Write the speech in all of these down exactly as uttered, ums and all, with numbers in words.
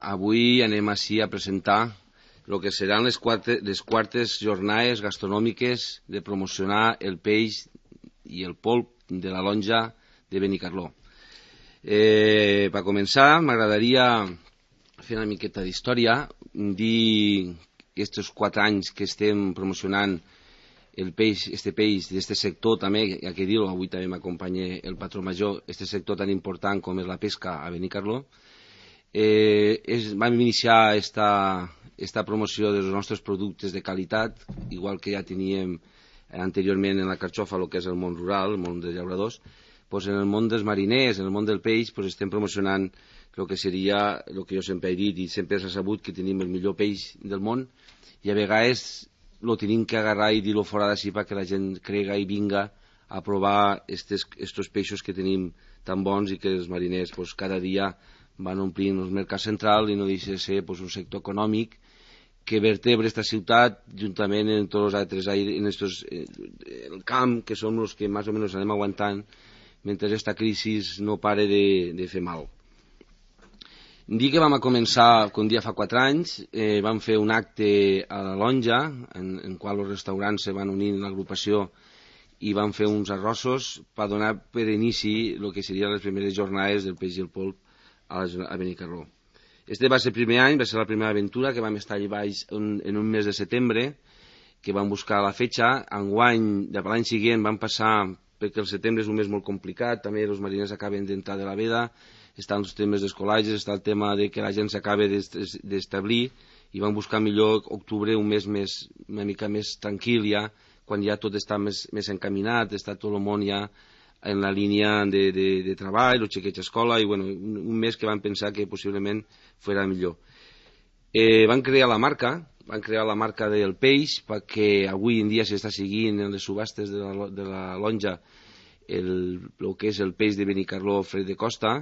avui anem així a presentar el que seran les, quarte, les quartes jornades gastronòmiques de promocionar el peix i el polp de la lonja de Benicarló. Eh, per començar, m'agradaria fer una miqueta d'història, dir que aquests quatre anys que estem promocionant el peix, este peix d'este sector també, hi ha que dir-ho, avui també m'acompanya el patró major, este sector tan important com és la pesca a Benicarló. Eh, és, vam iniciar esta, esta promoció dels nostres productes de qualitat, igual que ja teníem anteriorment en la carxofa, el que és el món rural, el món dels llauradors. Pues en el món dels mariners, en el món del peix, pues estem promocionant el que seria, el que jo sempre he dit, i sempre s'ha sabut que tenim el millor peix del món, i a vegades lo tenim que agarrar i dir-lo fora d'ací perquè la gent crega i vinga a provar estos, estos peixos que tenim tan bons i que els mariners pues, cada dia van omplint el mercat central i no deixa de ser pues, un sector econòmic que vertebra esta ciutat juntament amb tots els altres aires, en estos, el camp, que som els que més o menys anem aguantant mentre aquesta crisi no pare de, de fer mal. Dir que vam a començar, com dia fa quatre anys, eh, vam fer un acte a la Lonja, en, en qual els restaurants se van unir en l'agrupació i van fer uns arrossos per donar per inici el que serien les primeres jornades del peix i el polp a, a Benicarló. Este va ser el primer any, va ser la primera aventura, que vam estar allà baix en, en un mes de setembre, que vam buscar la fetxa. Enguany, de l'any següent, vam passar, perquè el setembre és un mes molt complicat, també els mariners acaben d'entrar de la veda, estan els temes d'escolatges, està el tema de que la gent s'acaba d'establir, i van buscar millor octubre, un mes més, una mica més tranquil ja, quan ja tot està més, més encaminat, està tot el món ja en la línia de, de, de treball, els xiquets a escola, i bueno, un, un mes que van pensar que possiblement fos millor. Eh, van crear la marca, van crear la marca del peix, perquè avui en dia s'està seguint en les subhastes de la, de la Lonja el, el que és el peix de Benicarló fred de costa,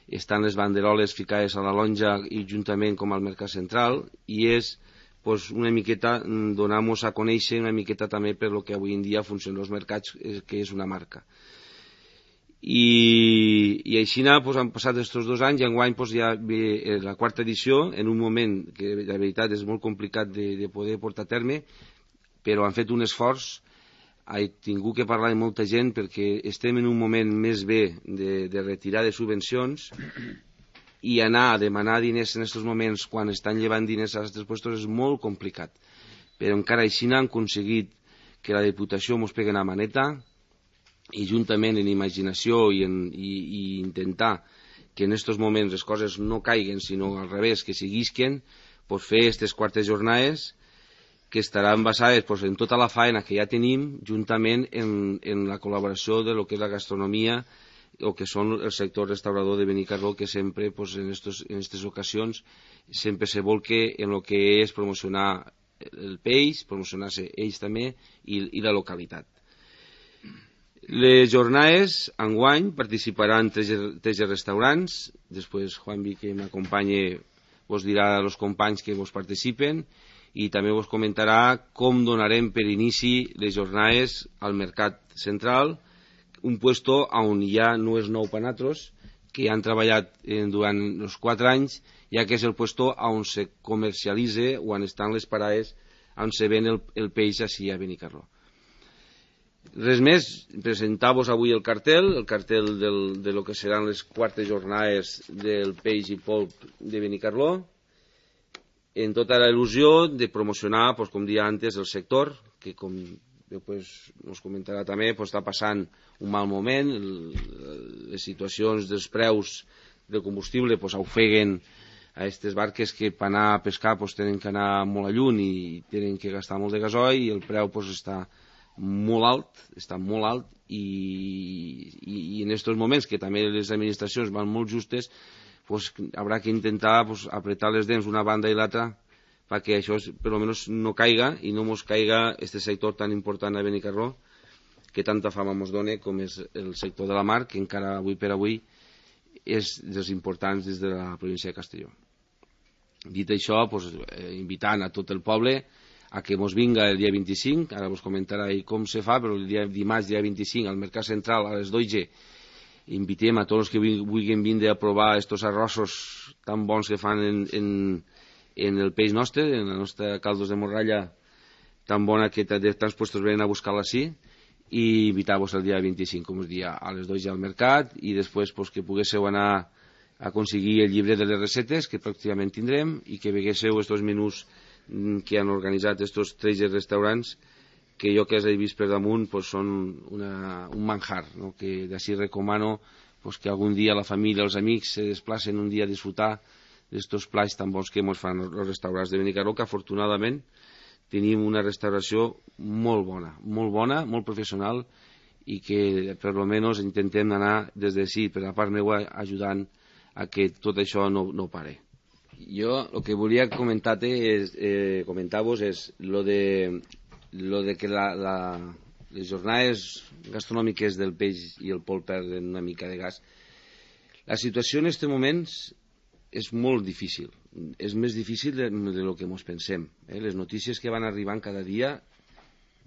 estan les banderoles ficades a la Lonja i juntament com al mercat central, i és pues, una miqueta donar-nos a conèixer una miqueta també per lo que avui en dia funcionen els mercats, que és una marca. I, i així pues, han passat aquests dos anys i enguany pues, ja ve la quarta edició, en un moment que la veritat és molt complicat de, de poder portar a terme, però han fet un esforç. He tingut que parlar amb molta gent perquè estem en un moment més bé de, de retirar de subvencions, i anar a demanar diners en aquests moments quan estan llevant diners a aquests puestos és molt complicat, però encara així han aconseguit que la Diputació ens pegui una maneta i juntament en imaginació i, en, i, i intentar que en aquests moments les coses no caiguen sinó al revés, que seguisquen, pues fer aquestes quartes jornades que estaran basades pues, en tota la faena que ja tenim, juntament en, en la col·laboració de lo que és la gastronomia o que són el sector restaurador de Benicarló, que sempre pues, en aquestes ocasions sempre se volque en lo que és promocionar el peix, promocionar-se ells també i, i la localitat. Les jornades enguany participaran tres, tres restaurants, després Juan Vi, que m'acompanya, vos dirà als companys que vos participen, i també vos comentarà com donarem per inici les jornades al mercat central, un puesto on ja no és nou per nosaltres, que han treballat eh, durant els quatre anys, ja que és el puesto on se comercialitza o on estan les parades on se ven el, el peix així a Benicarló. Res més, presentar-vos avui el cartel, el cartel del, de lo que seran les quartes jornades del peix i polp de Benicarló, en tota la il·lusió de promocionar, pues, com dia antes, el sector, que com després ens comentarà també, pues, està passant un mal moment, el, les situacions dels preus del combustible pues, ofeguen a aquestes barques que per anar a pescar pues, tenen que anar molt a lluny i tenen que gastar molt de gasoil, i el preu pues, està molt alt, està molt alt, i, i, i en aquests moments que també les administracions van molt justes, pues, haurà que intentar pues, apretar les dents una banda i l'altra perquè això per almenys no caiga i no mos caiga este sector tan important a Benicarló, que tanta fama mos dona com és el sector de la mar, que encara avui per avui és dels importants des de la província de Castelló. Dit això, pues, eh, invitant a tot el poble a que mos vinga el dia vint-i-cinc, ara vos comentarà com se fa, però el dia dimarts, dia vint-i-cinc, al Mercat Central a les dotze, invitem a tots els que vulguin vindre a provar estos arrossos tan bons que fan en, en, en el peix nostre, en la nostra caldos de morralla tan bona que de tants puestos venen a buscar-la així, i invitar-vos el dia vint-i-cinc, com us dia, a les dues ja al mercat, i després pues, que poguéssiu anar a aconseguir el llibre de les recetes, que pràcticament tindrem, i que veguéssiu estos menús que han organitzat estos tres restaurants, que jo que els he vist per damunt pues, són una, un manjar, no? Que d'ací recomano pues, que algun dia la família, els amics se desplacen un dia a disfrutar d'estos plats tan bons que ens fan els restaurants de Benicarló, que afortunadament tenim una restauració molt bona, molt bona, molt professional, i que per almenys intentem anar des de sí, per la part meva, ajudant a que tot això no, no pare. Jo el que volia comentar-te és, eh, comentar-vos és lo de, lo de que la, la, les jornades gastronòmiques del peix i el pol perden una mica de gas. La situació en aquests moments és molt difícil, és més difícil de, de lo que ens pensem. Eh? Les notícies que van arribant cada dia,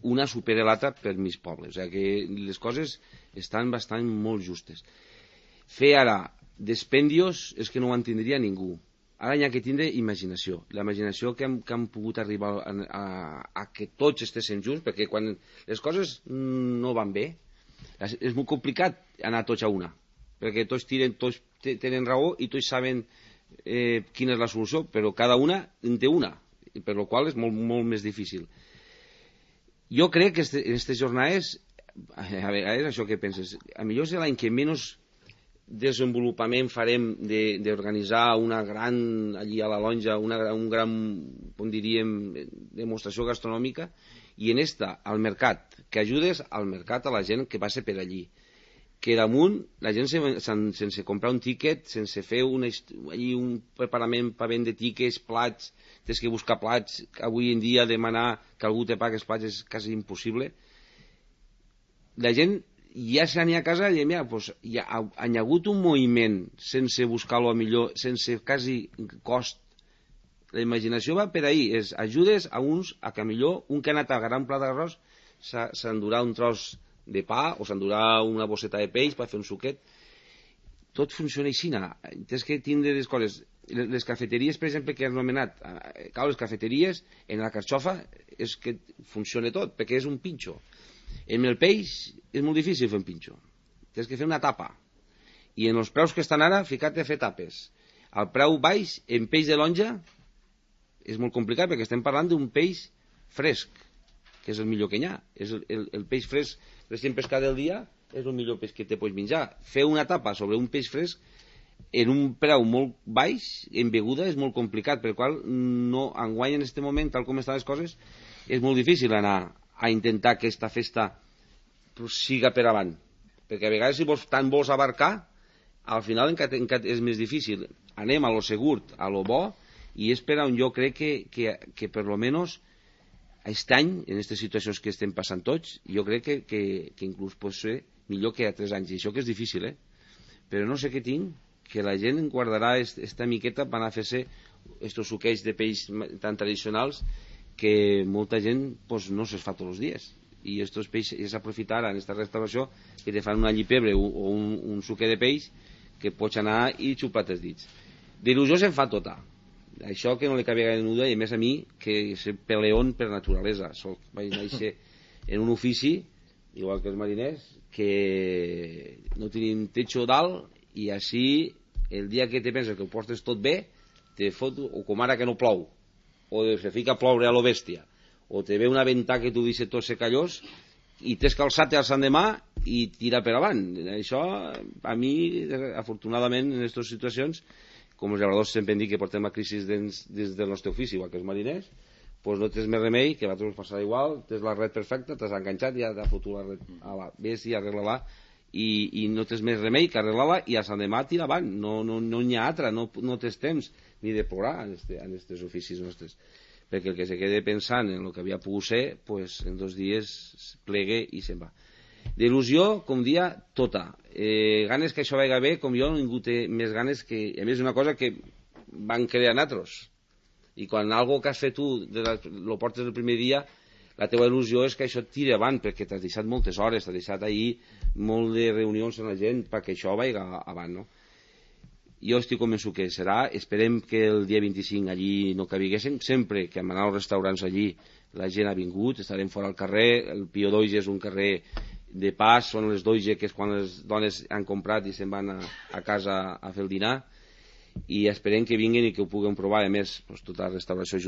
una supera l'altra per mig poble, o sigui que les coses estan bastant molt justes. Fer ara despendios és que no ho entendria ningú. Ara hi ha que tindre imaginació, la imaginació que hem, que hem pogut arribar a, a, a que tots estiguem junts, perquè quan les coses no van bé, és molt complicat anar tots a una, perquè tots, tiren, tots tenen raó i tots saben eh, quina és la solució, però cada una en té una, per la qual és molt, molt més difícil. Jo crec que este, en aquestes jornades, a vegades això que penses, a millor és l'any que menys desenvolupament farem d'organitzar una gran, allí a la Lonja, una, un gran, com diríem, demostració gastronòmica, i en esta, al mercat, que ajudes al mercat a la gent que passa per allí, que damunt la gent sen, sense comprar un tíquet, sense fer una, allí un preparament per vendre tíquets, plats, tens que buscar plats, avui en dia demanar que algú te pagui els plats és quasi impossible. La gent ja se n'hi a casa i mira, pues, hi ha, ha hagut un moviment sense buscar-lo a millor, sense quasi cost. La imaginació va per ahí, és ajudes a uns a que millor un que ha anat a agarrar un plat d'arròs s'endurà un tros de pa o s'endurà una bosseta de peix per fer un suquet. Tot funciona així. Tens que tindre les coses. Les cafeteries, per exemple, que has anomenat, clar, les cafeteries en la carxofa és que funciona tot, perquè és un pinxo. En el peix és molt difícil fer un pinxo, tens que fer una tapa, i en els preus que estan ara ficar-te a fer tapes. Al preu baix en peix de lonja és molt complicat, perquè estem parlant d'un peix fresc, que és el millor que hi ha. És el, el, el peix fresc recient pescat del dia és el millor peix que te pots menjar. Fer una tapa sobre un peix fresc en un preu molt baix en beguda és molt complicat, per qual no enguany en aquest moment, tal com estan les coses, és molt difícil anar a intentar que aquesta festa siga per avant, perquè a vegades si vols, tant vols abarcar, al final encara és més difícil. Anem a lo segur, a lo bo, i és per on jo crec que, que, que per lo menos aquest any, en aquestes situacions que estem passant tots, jo crec que, que, que inclús pot ser millor que a tres anys, i això que és difícil, eh? Però no sé què tinc, que la gent guardarà esta miqueta per anar a fer-se estos suqueis de peix tan tradicionals que molta gent pues, no se'ls fa tots els dies, i estos peixos és aprofitar en aquesta restauració que te fan una llipebre o un, un suque de peix que pots anar i xupar els dits. D'il·lusió se'n fa tota, això que no li cabia gaire nuda, i més a mi que soc peleón per naturalesa. Soc, vaig néixer en un ofici igual que els mariners, que no tenim techo dalt, i així el dia que te penses que ho portes tot bé te fot, o com ara que no plou, o se fica a ploure a lo bèstia, o te ve una ventà que tu deixes tot secallós i t'has calçat al sant demà i tira per avant. Això a mi, afortunadament, en aquestes situacions, com els llauradors sempre dic que portem la crisi des, des del nostre ofici, igual que els mariners, doncs no tens més remei, que a vosaltres us passarà igual, tens la red perfecta, t'has enganxat i ja t'ha fotut la red a la ves i arregla-la, i, i no tens més remei que arreglar-la i a sant demà tira avant, no, no, no n'hi ha altra, no, no tens temps ni de plorar en aquests oficis nostres, perquè el que se quede pensant en el que havia pogut ser, pues, en dos dies plegue i se'n va. D'il·lusió, com dia, tota. Eh, ganes que això vagi bé, com jo, ningú té més ganes que... A més, una cosa que van crear nosaltres. I quan algo que has fet tu lo portes el primer dia, la teva il·lusió és que això et tiri avant, perquè t'has deixat moltes hores, t'has deixat ahir molt de reunions amb la gent perquè això vagi avant, no? Jo estic convençut que serà, esperem que el dia vint-i-cinc allí no cabiguéssim, sempre que hem anat als restaurants allí la gent ha vingut, estarem fora al carrer, el Pio Doige és un carrer de pas, són les Doige que és quan les dones han comprat i se'n van a, a casa a fer el dinar, i esperem que vinguin i que ho puguem provar, a més, doncs, tota la restauració junta